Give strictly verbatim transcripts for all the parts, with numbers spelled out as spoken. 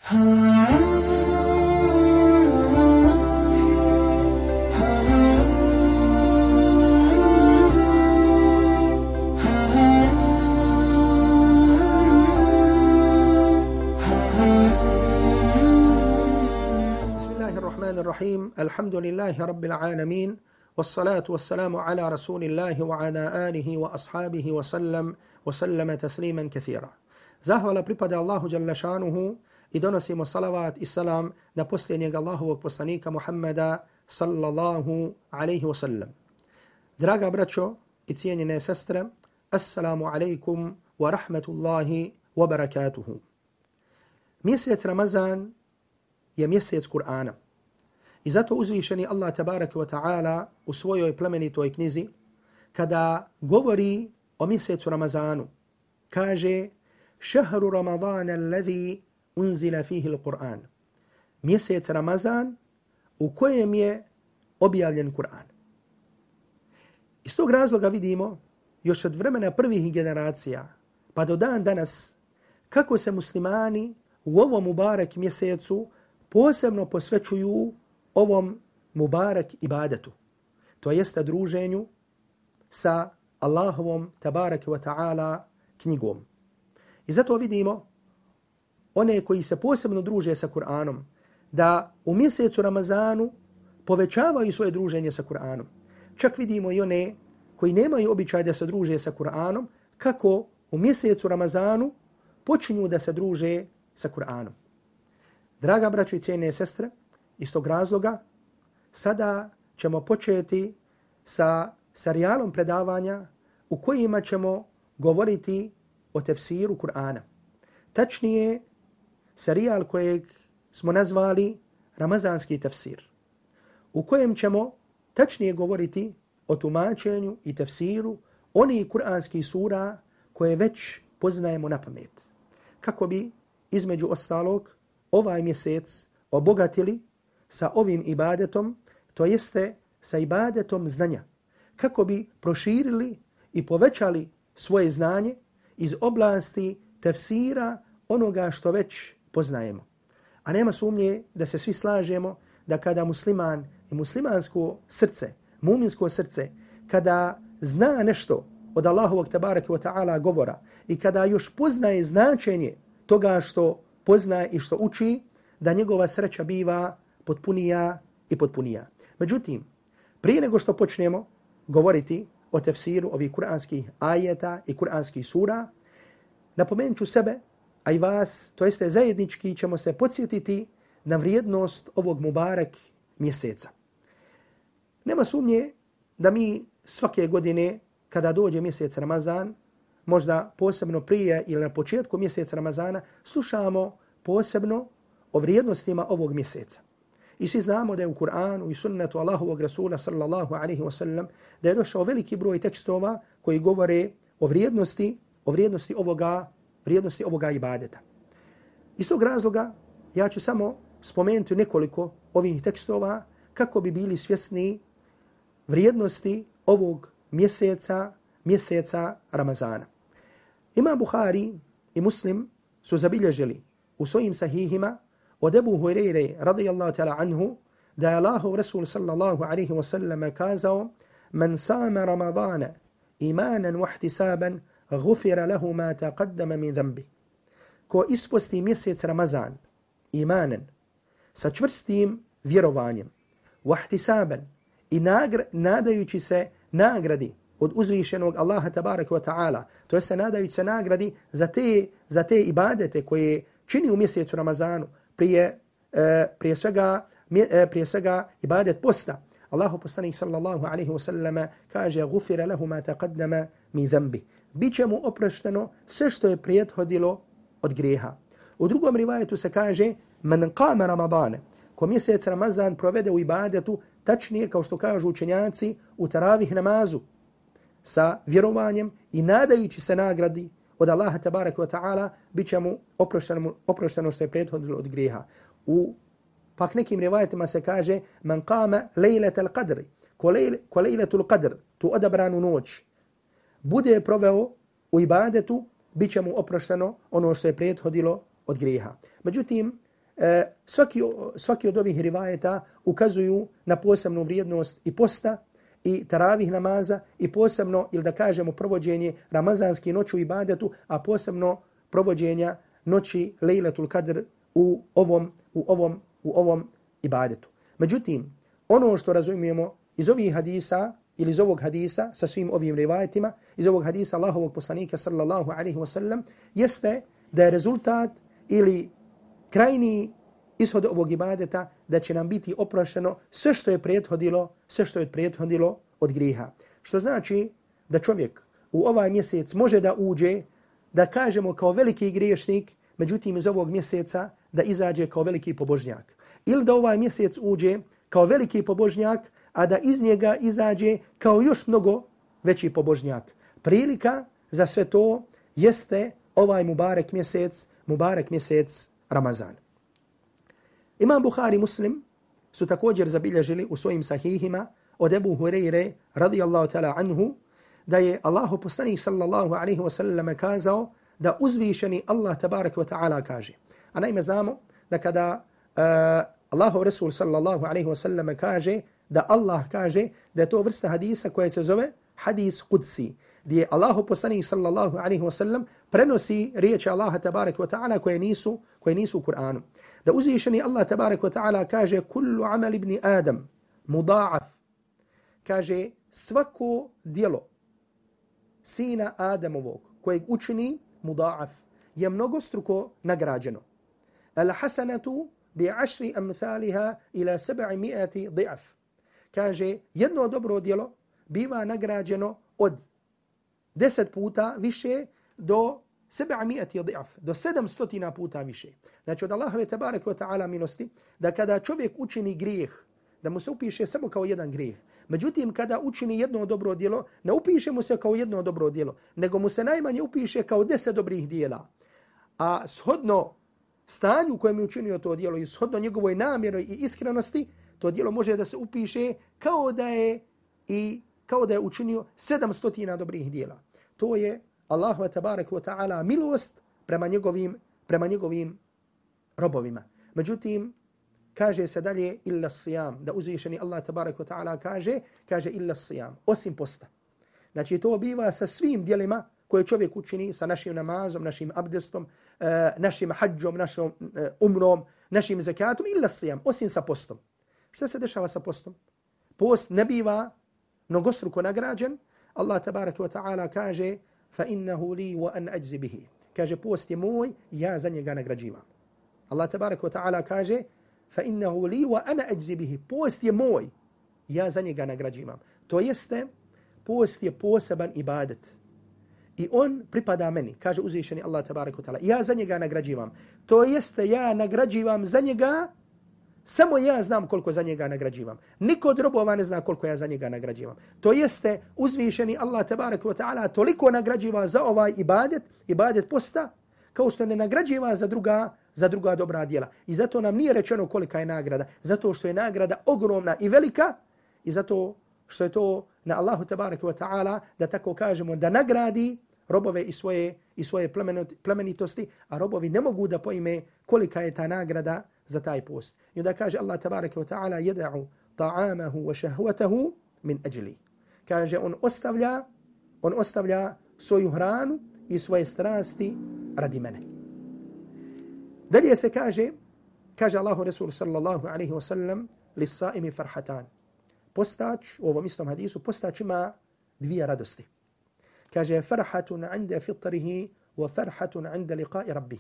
الرحيم الحمد لله رب العالمين والصلاة والسلام على رسول الله وعلى آله وأصحابه وسلم وسلم تسليما كثيرا. Zahvala pripada Allahu dželle šanuhu i donosimo salavat i salam na posljednjeg Allahovog poslanika Muhammeda sallallahu alaihi wasallam. Draga braćo i cijenjene sestre, assalamu alaikum wa rahmatullahi wa barakatuhu. Mjesec Ramazan je mjesec Kur'ana. I zato uzvišeni Allah tabaraka wa ta'ala u svojoj plemenitoj knjizi, kada govori o mjesecu Ramazanu, kaže šahru Ramadana alladhi unzila fihi l-Qur'an. Mjesec Ramazan u kojem je objavljen Kur'an. Iz tog razloga vidimo još od vremena prvih generacija pa do dan danas kako se muslimani u ovom mubarek mjesecu posebno posvećuju ovom mubarak ibadetu, to jeste druženju sa Allahovom tabaraka wa ta'ala knjigom. I zato vidimo one koji se posebno druže sa Kur'anom, da u mjesecu Ramazanu povećavaju svoje druženje sa Kur'anom. Čak vidimo i one koji nemaju običaj da se druže sa Kur'anom, kako u mjesecu Ramazanu počinju da se druže sa Kur'anom. Draga braćo i cijene sestre, iz tog razloga sada ćemo početi sa serijalom predavanja u kojima ćemo govoriti o tefsiru Kur'ana. Tačnije, serijal kojeg smo nazvali Ramazanski tefsir, u kojem ćemo tačnije govoriti o tumačenju i tefsiru onih kur'anskih sura koje već poznajemo na pamet, kako bi između ostalog ovaj mjesec obogatili sa ovim ibadetom, to jeste sa ibadetom znanja, kako bi proširili i povećali svoje znanje iz oblasti tefsira onoga što već poznajemo. A nema sumnje da se svi slažemo da kada musliman i muslimansko srce, muminsko srce, kada zna nešto od Allahovog tabaraka wa ta'ala govora i kada još poznaje značenje toga što poznaje i što uči, da njegova sreća biva potpunija i potpunija. Međutim, prije nego što počnemo govoriti o tefsiru ovih kuranskih ajeta i kuranskih sura, napomenut ću sebe, a i vas, to jeste zajednički ćemo se podsjetiti na vrijednost ovog mubarek mjeseca. Nema sumnje da mi svake godine, kada dođe mjesec Ramazan, možda posebno prije ili na početku mjeseca Ramazana, slušamo posebno o vrijednostima ovog mjeseca. I svi znamo da je u Kur'anu i sunnetu Allahovog Rasula sallallahu alaihi wa sallam da je došao veliki broj tekstova koji govore o vrijednosti, o vrijednosti ovoga, vrijednosti ovoga ibadeta. Iz tog razloga ja ću samo spomenuti nekoliko ovih tekstova kako bi bili svjesni vrijednosti ovog mjeseca, mjeseca Ramazana. Imam Buhari i Muslim su zabilježili u svojim sahihima od Ebu Hureyre radijallahu ta'ala anhu da je Allahov Rasul sallallahu alaihi wa sallam kazao: "Man sama Ramadana imanan wa ihtisaban gufira lahu ma taqaddama min dhanbi." Ko isposti mjesec Ramazan imanan sa čvrstim vjerovanjem, wa ihtisaban i nadajući se nagradi od uzvišenog Allaha tabaraka wa ta'ala, to jest nadajući se nagradi za te, za te ibadete koje čini u mjesecu Ramazanu, prije, e, prije, svega, e, prije svega ibadet posta. Allahu poslanik sallallahu alaihi wa sallam kaže: "Gufira lahu ma taqaddama min dhanbi." Biće mu oprošteno sve što je prethodilo od grijeha. U drugom rivajetu se kaže: "Man qama Ramadana." Ko mjesec Ramazan provede u ibadetu, tačnije kao što kažu učenjaci u taravih namazu, sa vjerovanjem i nadajući se nagradi od Allaha tabaraka wa ta'ala, bit će mu oprošteno, oprošteno što je prethodilo od grijeha. U pak nekim rivajetima se kaže: "Man qama lejletal qadri." Ko, lejle, ko lejletul qadr, tu odabranu noć, bude proveo u ibadetu, bit će mu oprošteno ono što je prethodilo od grijeha. Međutim, e, svaki, svaki od ovih rivajeta ukazuju na posebnu vrijednost i posta i taravih namaza i posebno, ili da kažemo, provođenje ramazanske noći u ibadetu, a posebno provođenja noći Lejletul Kadr u ovom, u ovom, u ovom ibadetu. Međutim, ono što razumijemo iz ovih hadisa ili iz ovog hadisa sa svim ovim rivajetima, iz ovog hadisa Allahovog poslanika sallallahu alaihi wa sallam, jeste da je rezultat ili krajni ishod ovog ibadeta da će nam biti oprošteno sve što je prethodilo, sve što je prethodilo od grijeha. Što znači da čovjek u ovaj mjesec može da uđe, da kažemo kao veliki griješnik, međutim iz ovog mjeseca da izađe kao veliki pobožnjak. Ili da ovaj mjesec uđe kao veliki pobožnjak, a da iz njega izađe kao još mnogo veći pobožnjak. Prilika za sve to jeste ovaj mubarek mjesec, mubarek mjesec Ramazan. Imam Buhari Muslim su također zabilježili u svojim sahihima od Ebu Hureyre radijallahu ta'ala anhu da je Allahu poslanik sallallahu alaihi wa sallam kazao da uzvišeni Allah tabarak wa ta'ala kaže. A naime znamo da kada uh, Allahu Rasul sallallahu alaihi wa sallam kaže da Allah kaže da je to vrsta hadisa koja se zove hadis Qudsi, gdje Allahu poslanik sallallahu alaihi wa sallam prenosi riječi Allaha tabarak wa ta'ala koje nisu, koje nisu u Kur'anu. Da uzvišeni Allah tabarak wa ta'ala kaže kullu amal ibn Adam muda'af, kaže svako dijelo sina Adamovog kojeg učini muda'af je mnogostruko nagrađeno. Al hasanatu bi ašri amthaliha ila sedamsto di'af. Kaže jedno dobro djelo biva nagrađeno od deset puta više do sedamsto di'af, do sedamsto puta više. Znači od Allahove tebareke ve ta'ala milosti da kada čovjek učini grijeh, da mu se upiše samo kao jedan grijeh. Međutim, kada učini jedno dobro djelo, ne upiše mu se kao jedno dobro djelo, nego mu se najmanje upiše kao deset dobrih djela. A shodno stanju u kojem je učinio to djelo i shodno njegovoj namjeroj i iskrenosti, to djelo može da se upiše kao da je i kao da je učinio sedamsto dobrih djela. To je Allahu tebareke ve ta'ala milost prema njegovim prema njegovim robovima. Međutim, kaže se dalje illa siyam, da uzvišeni Allah tebareke ve ta'ala kaže, kaže illa siyam, osim posta. Znači to biva sa svim djelima koje čovjek učini, sa našim namazom, našim abdestom, našim hadžom, našom umrom, našim zakatom, illa siyam, osim sa postom. Šta se dešava sa postom? Post ne biva mnogostruko nagrađen. Allah tebareke ve ta'ala kaže fa innahu li wa an ajzi bihi. Kaže post je moj, ja za njega nagrađivam. Allah tebareke ve ta'ala kaže fa innahu li wa ana ajzi bihi. Post je moj, ja za njega nagrađivam. To jeste, post je poseban ibadet. I on pripada meni, kaže uzvišeni Allah tebareke ve ta'ala. Ja za njega nagrađivam. To jeste, ja nagrađivam za njega, samo ja znam koliko za njega nagrađivam. Niko od robova ne zna koliko ja za njega nagrađivam. To jeste, uzvišeni Allah tebareke ve ta'ala toliko nagrađiva za ovaj ibadet, ibadet posta, kao što ne nagrađiva za druga, za druga dobra djela. I zato nam nije rečeno kolika je nagrada. Zato što je nagrada ogromna i velika i zato što je to na Allahu tebareke ve ta'ala, da tako kažemo, da nagradi robove i svoje, i svoje plemenitosti, a robovi ne mogu da pojme kolika je ta nagrada za taj post. I onda kaže Allah tabaraka wa ta'ala yad'u ta'amahu wa shahwatahu min ajli. Kaže on ostavlja, on ostavlja svoju hranu i svoje strasti radi mene. Dalje se kaže, kaže Allahu Rasul sallallahu alaihi wa sallam lis-sa'imi farhatan. Postač, u ovom istom hadisu, postač ima dvije radosti. Kaže farhatun 'inda fitrihi wa farhatun 'inda liqa'i rabbih.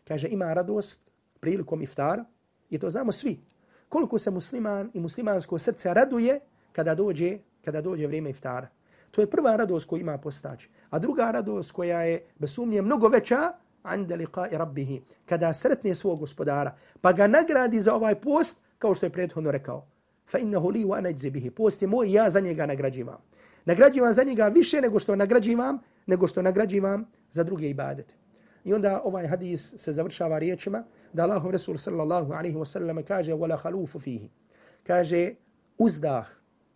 Kaže ima radost prilikom iftara, i to znamo svi. Koliko se musliman i muslimansko srce raduje kada dođe, kada dođe vrijeme iftara. To je prva radost koju ima postač. A druga radost koja je bez sumnje mnogo veća, 'inda liqa'i rabbih, kada sretne svog gospodara, pa ga nagradi za ovaj post, kao što je prethodno rekao. Fa innahu li wa ana ajzi bihi. Post je moj, ja za njega nagrađivam. Nagrađivam za njega više nego što nagrađivam, nego što nagrađivam za druge ibadete. I onda ovaj hadis se završava riječima da Allahov Rasul sallallahu alaihi wa sallam kaže wala khalufu fihi. Kaže uzdah,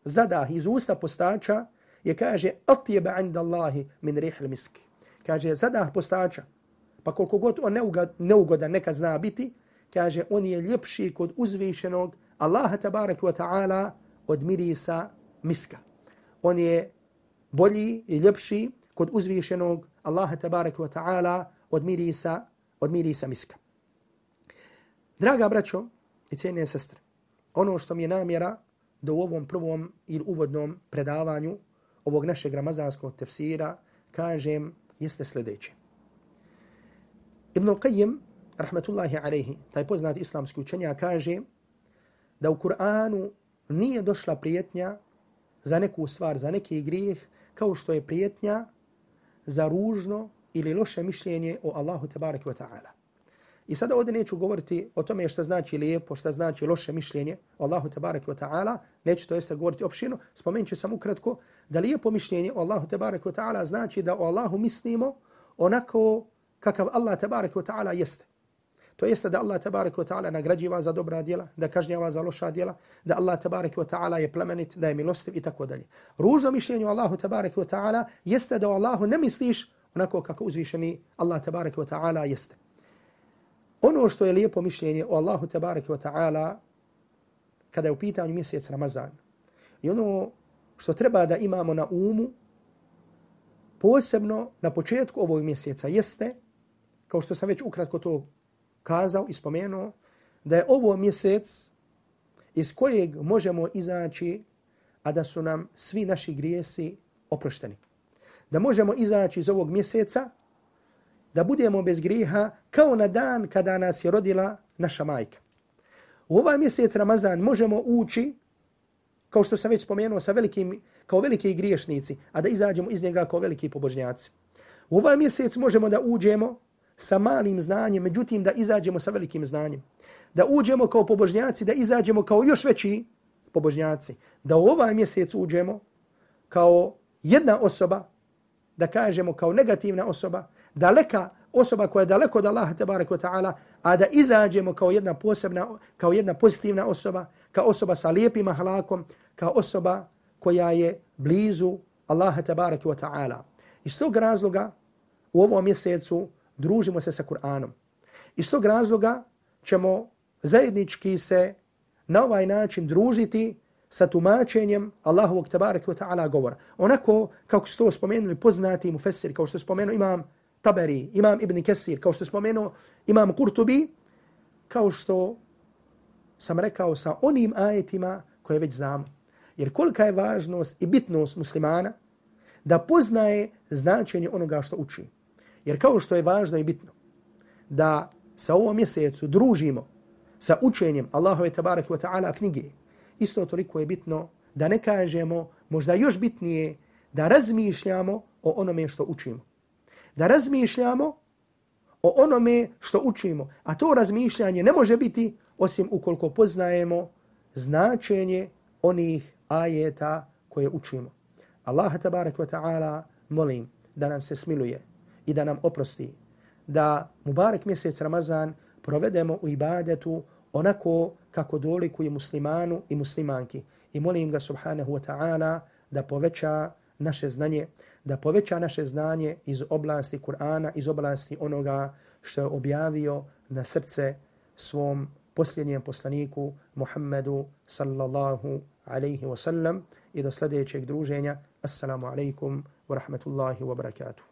zadah iz usta postača je, kaže, atjeba inda Allahi min rihl miski. Kaže zadah postača, pa koliko god on neugodan nekad zna biti, kaže, on je ljepši kod uzvišenog Allaha tabaraka wa ta'ala od mirisa miska. On je bolji i ljepši kod uzvišenog Allaha tabaraka wa ta'ala od mirisa, od mirisa miska. Draga braćo i cijene sestre, ono što mi je namjera da u ovom prvom ili uvodnom predavanju ovog našeg ramazanskog tefsira kažem jeste sljedeće. Ibn Qayyim, rahmetullahi alaihi, taj poznati islamski učenjak, kaže da u Kur'anu nije došla prijetnja za neku stvar, za neki grijeh, kao što je prijetnja za ružno ili loše mišljenje o Allahu tebareke ve ta'ala. I sada ovdje neću govoriti o tome šta znači lijepo, šta znači loše mišljenje o Allahu tebareke ve ta'ala, neću to jeste govoriti opširno, spomenut ću samo ukratko da lijepo mišljenje o Allahu tebareke ve ta'ala znači da o Allahu mislimo onako kakav Allah tebareke ve ta'ala jeste. To jeste da Allah tebareke ve ta'ala nagrađiva za dobra djela, da kažnjava za loša djela, da Allah tebareke ve ta'ala je plemenit, da je milostiv i tako dalje. Ružno mišljenje o Allahu tebareke ve ta'ala jeste da o Allahu ne misliš onako kako uzvišeni Allah tebareke ve ta'ala jeste. Ono što je lijepo mišljenje o Allahu tebareke ve ta'ala kada je u pitanju mjesec Ramazan i ono što treba da imamo na umu posebno na početku ovog mjeseca jeste, kao što sam već ukratko to kazao i spomenuo, da je ovo mjesec iz kojeg možemo izaći, a da su nam svi naši grijesi oprošteni. Da možemo izaći iz ovog mjeseca, da budemo bez grijeha kao na dan kada nas je rodila naša majka. U ovaj mjesec Ramazan možemo ući, kao što sam već spomenuo, sa velikim, kao veliki griješnici, a da izađemo iz njega kao veliki pobožnjaci. U ovaj mjesec možemo da uđemo sa malim znanjem, međutim da izađemo sa velikim znanjem. Da uđemo kao pobožnjaci, da izađemo kao još veći pobožnjaci. Da u ovaj mjesec uđemo kao jedna osoba, da kažemo kao negativna osoba, daleka osoba koja je daleko od Allaha tebareke ve ta'ala, a da izađemo kao jedna posebna, kao jedna pozitivna osoba, kao osoba sa lijepim ahlakom, kao osoba koja je blizu Allaha tebareke ve ta'ala. Iz tog razloga u ovom mjesecu družimo se sa Kur'anom. Iz tog razloga ćemo zajednički se na ovaj način družiti sa tumačenjem Allahovog tebareke ve ta'ala govora. Onako kako su to spomenuli poznati mufessiri, kao što je spomenuo imam Taberi, imam Ibn Kesir, kao što je spomenuo imam Kurtubi, kao što sam rekao sa onim ajetima koje već znamo. Jer kolika je važnost i bitnost muslimana da poznaje značenje onoga što uči. Jer kao što je važno i bitno da sa ovom mjesecu družimo sa učenjem Allahove tebareke ve ta'ala knjige, isto toliko je bitno da ne kažemo, možda još bitnije, da razmišljamo o onome što učimo. Da razmišljamo o onome što učimo. A to razmišljanje ne može biti osim ukoliko poznajemo značenje onih ajeta koje učimo. Allaha tebareke ve ta'ala molim da nam se smiluje i da nam oprosti, da mubarek mjesec Ramazan provedemo u ibadetu onako kako dolikuje muslimanu i muslimanki. I molim ga subhanahu wa ta'ala da poveća naše znanje, da poveća naše znanje iz oblasti Kur'ana, iz oblasti onoga što je objavio na srce svom posljednjem poslaniku Muhammedu sallallahu alaihi wa sallam. I do sljedećeg druženja. Assalamu alaikum wa rahmatullahi wa barakatuh.